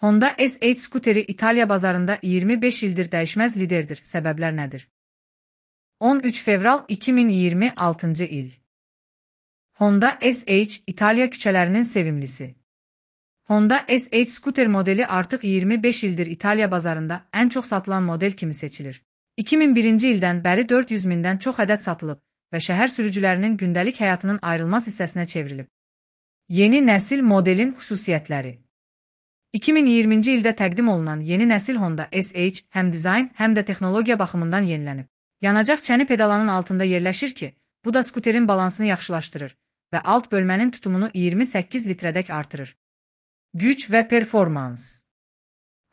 Honda SH skuteri İtalya bazarında 25 ildir dəyişməz liderdir. Səbəblər nədir? 13 fevral 2026 il. Honda SH İtalya küçələrinin sevimlisi. Honda SH skuter modeli artıq 25 ildir İtalya bazarında ən çox satılan model kimi seçilir. 2001-ci ildən bəri 400 mindən çox ədəd satılıb və şəhər sürücülərinin gündəlik həyatının ayrılmaz hissəsinə çevrilib. Yeni nəsil modelin xüsusiyyətləri. 2020-ci ildə təqdim olunan yeni nəsil Honda SH həm dizayn, həm də texnologiya baxımından yenilənib. Yanacaq çəni pedalanın altında yerləşir ki, bu da skuterin balansını yaxşılaşdırır və alt bölmənin tutumunu 28 litrədək artırır. Güc və performans.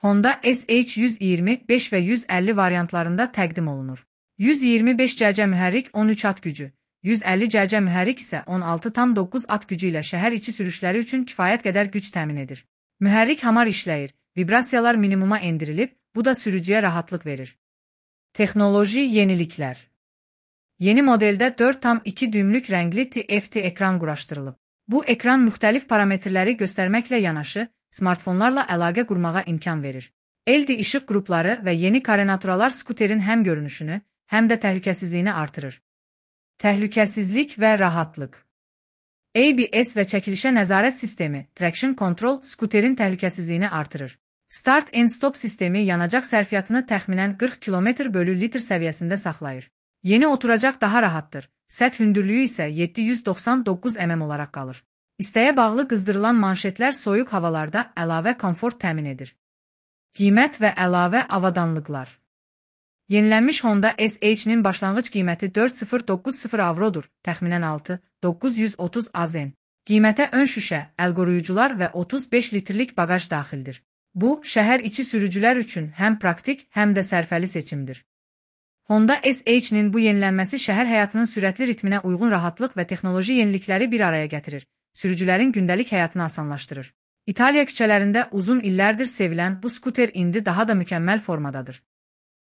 Honda SH 125 və 150 variantlarında təqdim olunur. 125 cc mühərrik 13 at gücü, 150 cc mühərrik isə 16,9 at gücü ilə şəhər içi sürüşləri üçün kifayət qədər güc təmin edir. Mühərrik hamar işləyir, vibrasiyalar minimuma endirilib, bu da sürücüyə rahatlıq verir. Texnoloji yeniliklər. Yeni modeldə 4,2 düymlük rəngli TFT ekran quraşdırılıb. Bu ekran müxtəlif parametrləri göstərməklə yanaşı, smartfonlarla əlaqə qurmağa imkan verir. LED işıq qrupları və yeni karenaturalar skuterin həm görünüşünü, həm də təhlükəsizliyini artırır. Təhlükəsizlik və rahatlıq. ABS və çəkilişə nəzarət sistemi, traction control, skuterin təhlükəsizliyini artırır. Start and stop sistemi yanacaq sərfiyyatını təxminən 40 km/litr səviyyəsində saxlayır. Yeni oturacaq daha rahatdır, səth hündürlüyü isə 799 mm olaraq qalır. İstəyə bağlı qızdırılan manşetlər soyuq havalarda əlavə komfort təmin edir. Qiymət və əlavə avadanlıqlar. Yenilənmiş Honda SH-nin başlanğıc qiyməti 4090 avrodur, təxminən 6930 AZN. Qiymətə ön şüşə, əl qoruyucular və 35 litrlik bagaj daxildir. Bu, şəhər içi sürücülər üçün həm praktik, həm də sərfəli seçimdir. Honda SH-nin bu yenilənməsi şəhər həyatının sürətli ritminə uyğun rahatlıq və texnoloji yenilikləri bir araya gətirir. Sürücülərin gündəlik həyatını asanlaşdırır. İtaliya küçələrində uzun illərdir sevilən bu skuter indi daha da mükəmməl formadadır.